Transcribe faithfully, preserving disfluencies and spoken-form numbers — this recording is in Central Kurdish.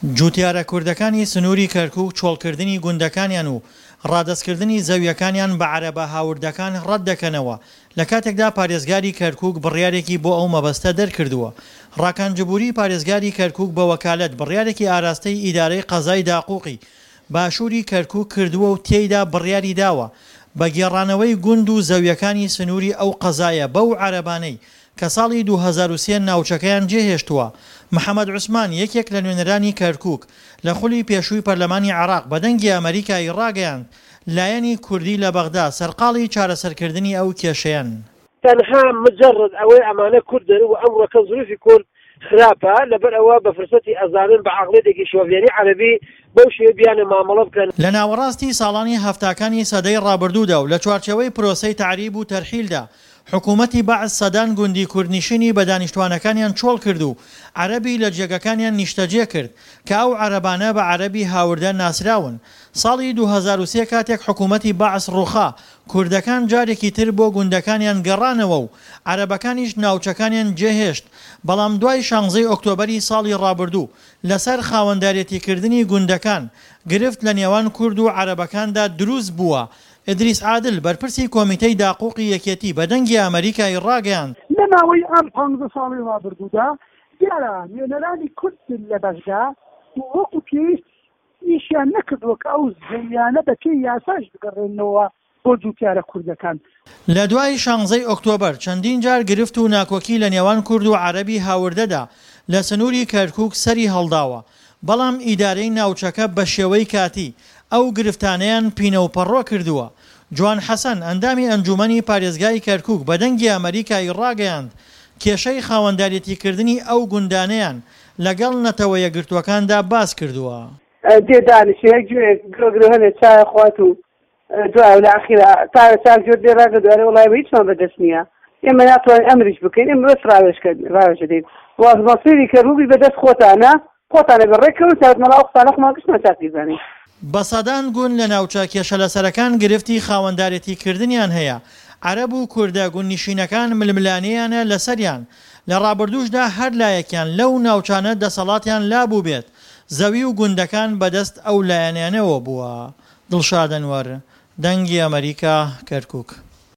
جوتیارە کوردەکانی سنووری کەرکوک چۆڵکردنی گوندەکانیان و ڕادەستکردنی زەوییەکانیان بە عەرەبە هاوردەکان ڕەتدەکەنەوە، لەکاتێکدا پارێزگاری کەرکوک بڕیارێکی بۆ ئەو مەبەستە دەرکردووە. ڕاکان جبوری پارێزگاری کەرکوک بە وەکالەت بڕیارێکی ئاراستەی ئیدارەی قەزای داقوقی باشووری کەرکوک کردووە و تێیدا بڕیاری داوە بە گێڕانەوەی گوند و زەوییەکانی سنووری ئەو قەزایە بەو عەرەبانەی کە ساڵی دوو هەزار و سێ ناوچەکەیان جێهێشتووە. محەمەد عوسمان، یەکێک لە نوێنەرانی کەرکوک لە خولی پێشووی پەرلەمانی عێراق بە دەنگی ئەمەریکای ڕاگەیاند، لایەنی کوردی لە بەغدا سەرقاڵی چارەسەرکردنی ئەو کێشەیەن. تەنها مجرد ئەوەی ئەمانە کوردن و ئەمڕۆکە زروفی کورد خراپە لەبەر ئەوە بە فرسەتی ئەزانن بە عەقڵیەتێکی شۆڤێنی عەرەبی بەو شێوەیە بیانە مامەڵە بکەن. لە ناوەڕاستی ساڵانی هەفتاکانی سەدەی ڕابردوودا و لە چوارچێوەی پرۆسەی تەعریب و تەرحیلدا حکوومەتی بەعس سەدان گوندی کوردنشینی بە دانیشتوانەکانیان چۆڵ کرد و عەرەبی لە جێگەکانیان نیشتەجێ کرد کە ئەو عەرەبانە بە عەرەبی هاوردە ناسراون. ساڵی دوو هەزار و سێ کاتێک حکوومەتی بەعس ڕووخا، کوردەکان جارێکی تر بۆ گوندەکانیان گەڕانەوە و عەرەبەکانیش ناوچەکانیان جێهێشت، بەڵام دوای شانزەی ئۆکتۆبەری ساڵی ڕابردوو لەسەر خاوەندارێتیکردنی گوندەکان گرفت لە نێوان کورد و عەرەبەکاندا دروست بووە. ئیدریس عادل، بەرپرسی کۆمیتەی داقوقی یەکێتی بە دەنگی ئەمەریکای ڕاگەیاند، لە ماوەی ئەم پانزە ساڵەی ڕابردوودا دیارە نوێنەرانی کورد لە بەغدا وەکو پێویست ئیشیان نەکردووە کە ئەو زەویانە بە پێی یاساش بگەڕێنەوە بۆ جوتیارە کوردەکان. لە دوای شانزەی ئۆکتۆبەر چەندین جار گرفت و ناکۆکی لە نێوان کورد و عەرەبی هاوردەدا لە سنووری کەرکوک سەری هەڵداوە، بەڵام ئیدارەی ناوچەکە بەشێوەی کاتی ئەو گرفتانەیان پینەوپەڕۆ کردووە. جوان حەسەن، ئەندامی ئەنجوومەنی پارێزگای کەرکوک بە دەنگی ئەمەریکای ڕاگەیاند، کێشەی خاوەنداریەتیکردنی ئەو گوندانەیان لەگەڵ نەتەوە یەکگرتووەکاندا باس کردووە. دێ دانیشێ گوێ گرۆ گرۆ هەنێ چایە خوات و دوای لە ئەخیرا تاوێ چاک جۆر دێ ڕاگە دوارێ وڵای بە هیچمان بەدەست نییە، ئێمە ناتوانین ئەمریش بکەین، ئێمە بەس ڕاوێژ دەدەین. واز مەسیری کەرکوکی بەدەست خۆتانە، خۆتانە بە ڕێککەون تا مەڵا ئەو قسانە خۆمان گشتمان چاک بیزانین. بە سەدان گوند لە ناوچە کێشەلەسەرەکان گرفتی خاوەندارێتیکردنیان هەیە، عەرەب و کوردە گوندنشینەکان ململانێیانە لەسەریان، لە ڕابردووشدا هەر لایەکیان لەو ناوچانە دەسەڵاتیان لابووبێت، زەوی و گوندەکان بەدەست ئەو لایەنانەوە بووە. دڵشاد ئەنوەر، دەنگی ئەمەریکا، کەرکوک.